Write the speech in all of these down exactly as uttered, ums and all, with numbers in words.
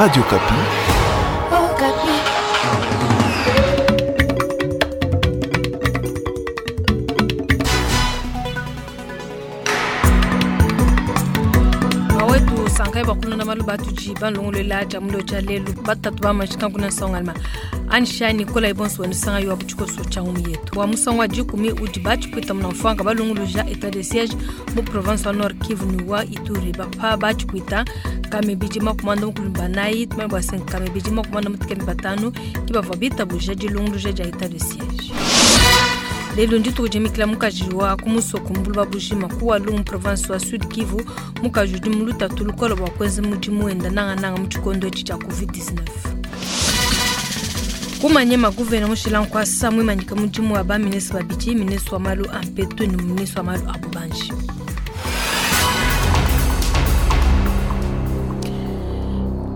Radio Okapi. Oh, Okapi. Awetu sankai bakulonda malu batuji banlongolola jamulo ja lelu batatu bamashika kuna songalma ansha nikola ibonso wenu yo abuchiko changu yetu wa musangwa jikumi udi bachipwita mnamfanga balunguluja état de siège mu province wa Nord Kivu ni wa Ituri bapa bachipwita kame bijima kumanda mukulumba nayi tumai bwa sen kame bijima kumanda mutikeni batanu kibava bitabuja dilunguluja ja état de siège. Lelo ndituku jimikila mukaji wa kumusoko mbulu bujima kuwa lumu province wa Sud Kivu mukaji udi mulutatu lukola bwa kwenza mudimu wenda nangananga mu tshikondo etshi tshia covid dix-neuf. Kumanyema guvena mushila nkwasa mwimanyika mudimu wa baminisi babidi, minisi wa malu a mpetu ne minisi wa malu a bubanji.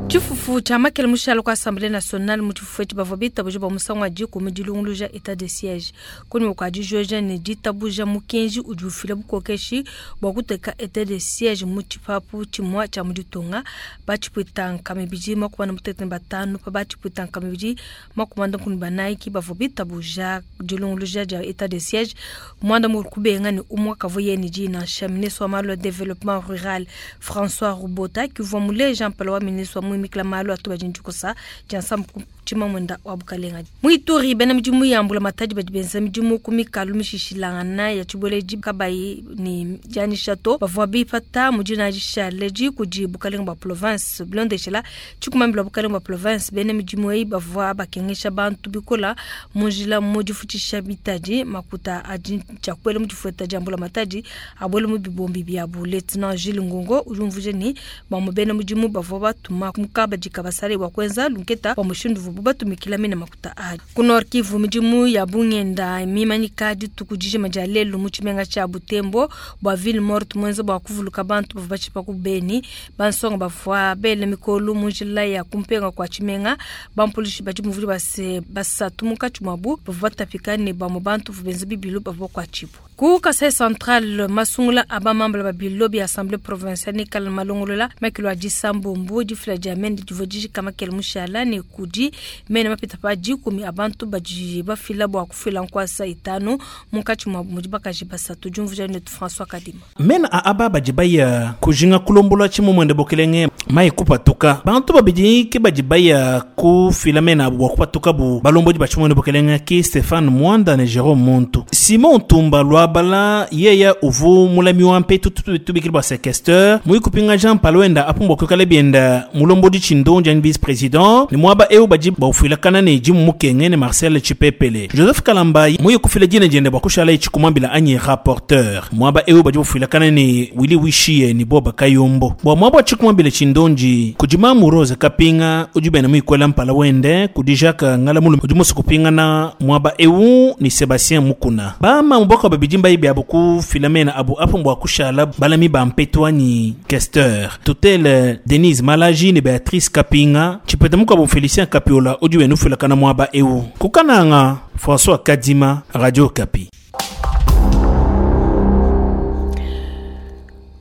Tshifufu tshia makele mushalo kwa Assemblée nationale mu tshifufu etshi bavua bitabuja bua musangu wa dikumi dilunguluja état de siège. Kunyima kua dijoja ne ditabuja mukenji udi ufila bukokeshi bua kuteka état de siège mu tshipapu tshimue tshia mu ditunga. Batshipwita nkama ibidi makumi ane mutekete ne batanu pa batshipwita nkama ibidi makumi anda nkuni banayi ki bavua bitabuja dilunguluja dia état de siège. Muanda mukulu kubenga ne umue kavua yeye ne dina nansha ministre wa malu a développement rural François Rubota ki uvua muleja mpala wa ministre wa muimikila malu atu badi ndikusa dia nsambu tshima mwenda wa bukalenga. Mu Ituri bena midimu ya mbula matadi badi benza midimu ku mikalu mishishilangana ya tshibueledi kabayi ne dianyisha to bavua bipata mu dina dishale kudi bukalenga bua province bilondeshela tshikumambila bukalenga bua province bena midimu eyi bavua bakengesha bantu bikola mu njila mu difutshisha bitadi makuta adi tshiakuela mu difueta dia mbula matadi abuela mu bibombi biabu. Lieutenant Gilles Ngongo udi umvuija ne bamue bena mudimu bavua batuma mukabadi kabasale bua kuenza lunketa bua mushindu uvuabu batumikila mena makuta a ku Nord Kivu. Midimu ya bungenda mimanyika dituku dijima dia lelu mu tshimenga tshia Butembo bua ville morte mwenza bua kuvuluka bantu bavua batshipa ku Beni. Bansonga bavua bela mikolu mu njila ya kumpenga kua tshimenga. Bampolishi badi muvuli base basatu munkatshi muabu bavua batapika ne bamue bantu bavua benza bibilu bavua bakuatshibua. Ku Kasai Central masungula aba mambala babilo bia Assemblée provinciale ne kala malongolola makilo a disambombo difila dia mende divua dijika makele mushala ne kudi mene mapita pa dikumi abantu badi bafila bua kufila nkwasa itanu munkatshi muabu mudi bakaji basatu. Diumvuija netu François Kadima. Mena a aba badi baya kujinga kulombola tshimumwende bokelenge mai kupatuka bantu babidi ke badi baya kufila mena abu bua kupatuka bu balombodi ba tshimumwende bokelenge ki Stéphane Mwanda ne Jérôme Muntu. Simon Tumba Lwabala yeya uvu mulami wa mpetu tubikili bua séquesteur mui kupinga Jean Palwenda apumbwa kwikala bienda mulombodi tshindonji ani vice président ni mwaba eu badi baufilakana ne jimu mukenge ne Marcel Chipepele. Joseph Kalamba muye kufila jine jende bua kushala ichikumambila anyi rapporteur mwaba eu badi bafilakana ne Willy Wishie ni Boba Kayombo bua mwaba chikumambila chindonji kujima Rose Kapinga ujibena muikwela mpala wende kudi Jacques Ngalamulu udi musu kupingana mwaba eu ni Sebastien Mukuna bama mboka babidi mbayi bya kufila mena abu apo mbwa kushala balami ba mpetu anyi questeur tutele Denise Malaji ne Beatrice Kapinga chipeta mukwa Felicien Kapiola udi wenu fulakana mwaba eu kukananga François Kadima, Radio Okapi.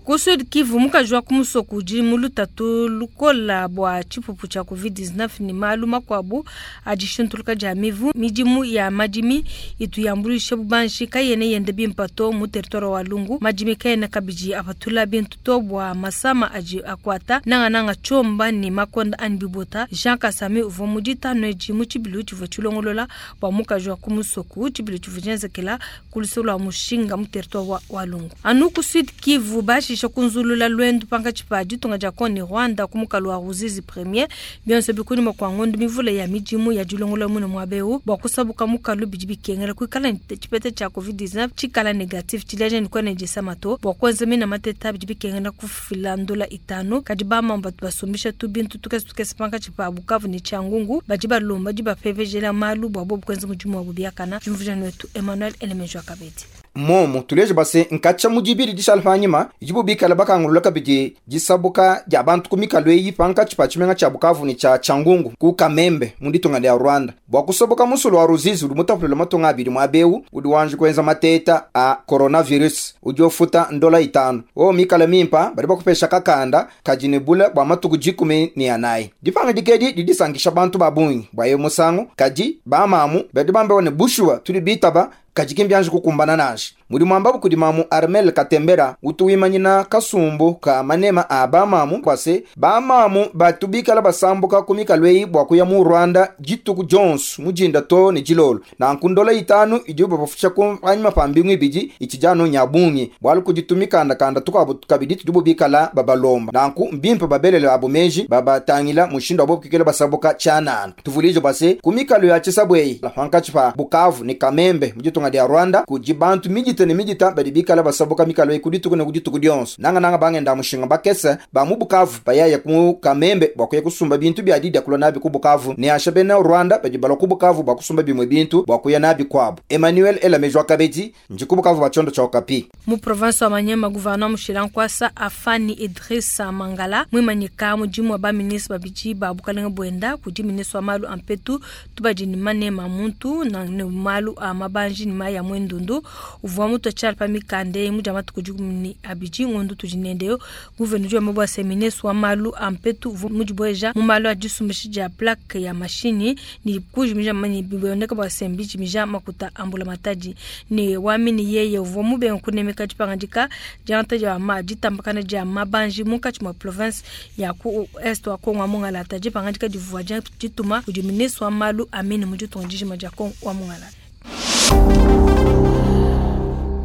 Ku Sud Kivu mukaji wa kumusoko udi mu lutatu lukola bua tshipupu tshia covid dix-neuf ne malu makuabu a dishintuluka dia mivu. Midimu ya madimi itu yambuluisha bubanji kayene yende bimpa to mu territoire wa Lungu. Madimi kayene kabidi apatula bintu to bua masama adi akwata nangananga tshiomba ne makonda ani bibota. Jean Kasami uvua mu ditanu edi mu tshibilu tshivua tshilongolola bua mukaji wa kumusoko. Tshibilu tshivua tshienzekela ku luseke lua mushinga mu territoire wa, wa Lungu. Anu ku Sud Kivu bashi kunzulula lwendu pankatshi pa ditunga dia Kongo ne Rwanda ku mukalu wa Ruzizi premier bionso bikunyima kua ngondo mivula ya midimu ya dilongola mune muaba eu bua kusabuka mukalu bidi bikengela kuikala ne tshipeta tshia covid dix-neuf tshikala negatif tshileja ne kuena disama to bua kuenza mina mateta bidi bikengela kufila ndola itanu. Kadi bamamba batu basumbisha tu bintu tukese tukese pankatshi pa Bukavu ne Tshiangungu badi balomba di bapepejela malu bua bobu kuenza mudimu wabu biakana. Diumvuija netu Emmanuel Elemejo Kabedi. Momu tuleje base nkacha mudibiri dishalfanyima ijibu bikala bakangulula kabidi disabuka dia bantu ku mikalo eyi pankatshi pa tshimenga tshia Bukavu ne tshia Tshangungu ku Kamembe mu ditunga dia Rwanda bua kusoboka musulu wa Ruzizi udi mutapulula matunga abidi muabewu udi wanje kuenza mateta a coronavirus udi ofuta ndola itanu o mikala mimpa badi bakupesha kakanda kadi ne bula bua matuku dikumi ne anayi. Dipanga dikedi didisankisha bantu ba bungi bua ye musangu kadi bamamu badi bambewa ne bushuwa tudi bitaba kadi kimbianji kukumbana nashi. Mudi mwambabu kudi mamu Armel Katembera utuwimanyina kasumbu ka manema a bamamu kwase bamamu batubikala basambuka ku mikalo eyi bua kuya mu Rwanda dituku Jones mujinda to ne dilolo na nkundola itanu idi bafusha ku anyima pa mbingu ibidi ichijano nyabungi bwalu kuditumikanda kanda tukabu kabidi tudibu bikala babalomba nanku mbimpe babelele abo meji babatangila mushindo abo kikela basabuka chanana tuvulije base ku mikalo ya chisabweyi la pankachi pa Bukavu ni Kamembe mujitunga dia Rwanda kujibantu mijita ne mijita badi bikala basabuka mikalo eyi kudituku ne kudituku dionso nanga nanga bangenda mushinga bakese ba mu Bukavu bayaya ku Kamembe bwa kuya kusumba bintu bya didi kulwa nabi ku Bukavu ne asha bena Rwanda badi balwa ku Bukavu bwa kusumba bimwe bintu bwa kuya nabi kwabo. Emmanuel Elamejwa Kabedi nji ku Bukavu bachondo cha Okapi. Mu province wa Manyema gouverneur Mushilankwasa Afani Idrissa Mangala mwimanyika mujimu wa ba ministre babiji ba bukalenga bwenda kudi ministre wa malu ampetu tubadi ni manema muntu na ne malu a mabanji ni maya mwendundu uvua mutu achala pa mikande muja matuku dikumi abidi ngondo tudinendeyo gouverneur wa mabwa ministre wa malu ampetu uvua mujibweja mu malu a disumbishi dia plaque ya mashini ni kujimija mani biboneka bwa sembi jimija makuta ambula matadi ni wamini yeye uvua mubenga kunemeka dipangandika dianta dia ma ditambakana dia mabanji munkatshi mwa province ya ku est wa Kongo mungalata dipangandika divua dia dituma kudi ministre wa malu amini muditunga dijima dia Kongo wa mungalata.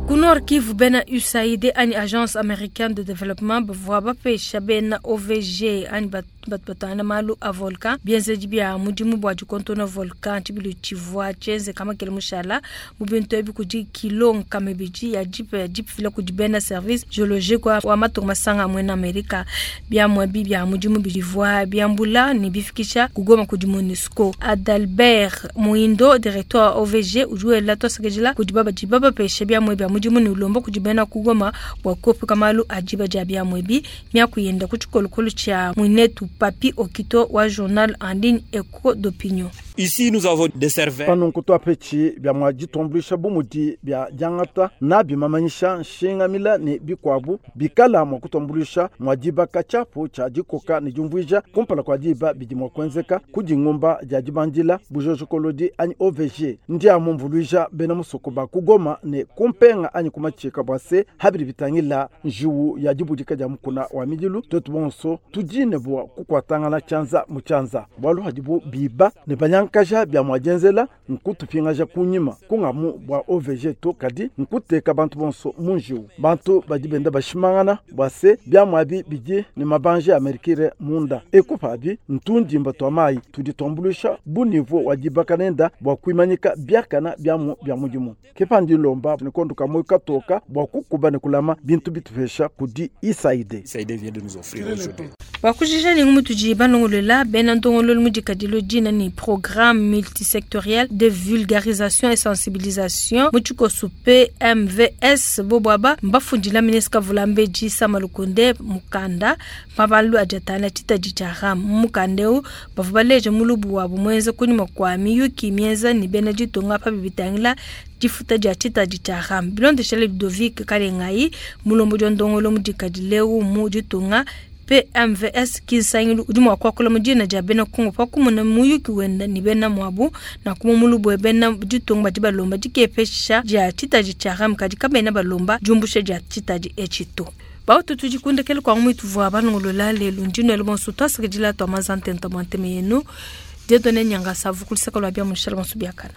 Ku Nord Kivu bena U S A I D ani Agence Américaine de Développement bavua bapesha bena O V G ani batbatana malu a volcan bienzedi bia mudimu bua dikontona volcan tshibilu tshivua tshienze kama kele mushala mu bintu ebi kudi kilo nkama ibidi ya jipe ya jipe fila kudi bena service géologique wa, wa matunga masanga amwe Amerika biamwe bi bia mudimu bivua biambula ne bifikisha kugoma kudi MONUSCO. Adalbert Muindo directeur wa O V G ujuela tosekejila kudi baba dibaba pesha biamwe bia mudimu ni ulomba kudi bena kugoma bua kuepuka malu a diba dia biamwe bi miakuyenda ku tshikolokolo tshia mwinetu Papi Okito wa journal en ligne Echo d'Opinion. Ici nous avons des serveurs. Panunku twapetshi bia mwa ditumbuluisha bumudi bia diangata na bimamanyisha nshingamila ne bikwabu bikala mwa kutumbuluisha mwa dibaka tshiapu tshia dikoka ne diumvuija kumpala kua diba bidi mwa kuenzeka ku dingumba dia dibandila bujojokolodi anyi O V G ndia mumvuluija bena musoko ba kugoma ne kumpenga anyi kumatshika bua se habidi bitangila njiwu ya dibudika dia mukuna wa midilu twetu bonso tudine bua kukuatangana tshianza mu tshianza bualu hadibu biba ne banyankaja bia mwa dienzela nkutupingaja kunyima kungamu bua O V G to kadi nkuteka bantu bonso mu njiwu bantu badi benda bashimangana bua se bia mwabi bidi ne mabanje amerikire munda ekupabi ntundimba twa mayi tudi tuambuluisha bu niveau wa dibaka nenda bua kuimanyika biakana biamu bia mudimu kepandi lomba ne kondu kamwe katoka bua kukuba ne kulama bintu bitupesha kudi U S A I D. U S A I D vient de nous offrir aujourd'hui. Bakujija ni ngumutuji banongolola bena ndongololo mudikadilo dina ni programme multisectoriel de vulgarisation et sensibilisation mutshikosu P M V S bobwaba mbafundila ministre Kavulambeji Samalukonde mukanda mabalu ajatana titaji cha ram mukandeu bavubaleje mulubu wabo mwenze kunyuma kwa miyuki mienza ni bena ditonga pa bibitangila difuta dia tshitadi tshia ram bilondeshele Ludovic Kalengai mulombo dia ndongolo mudikadileu mu ditunga P M V S kisangilu udi mua kuakula mu dina dia bena Kongo pa kumuna muyuki wenda ni bena muabu na kuma mulubu bena ditunga badi balomba dikepesha dia tshitadi tshia ram kadi kabena balomba diumbusha dia tshitadi etshito. Bautu tudikundekele kwa mwitu vua banongolola lelu ndino elo bonso twasekejila twa mazantenta mwanteme yenu Dieudonné Nyanga savu kulisaka lwa bia mushala bonso biakana.